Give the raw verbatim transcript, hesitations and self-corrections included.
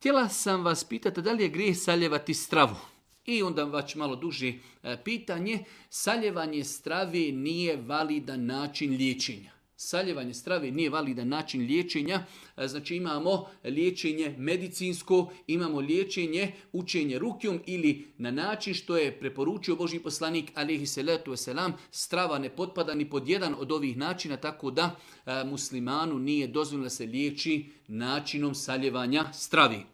htjela sam vas pitati da li je grijeh saljevati stravu. I onda već malo duže pitanje, saljevanje strave nije validan način liječenja. Saljevanje strave nije validan način liječenja, znači imamo liječenje medicinsko, imamo liječenje učenje rukjom ili na način što je preporučio Božji poslanik alejhi salatu vesselam, strava ne potpada ni pod jedan od ovih načina, tako da muslimanu nije dozvoljeno da se liječi načinom saljevanja stravi.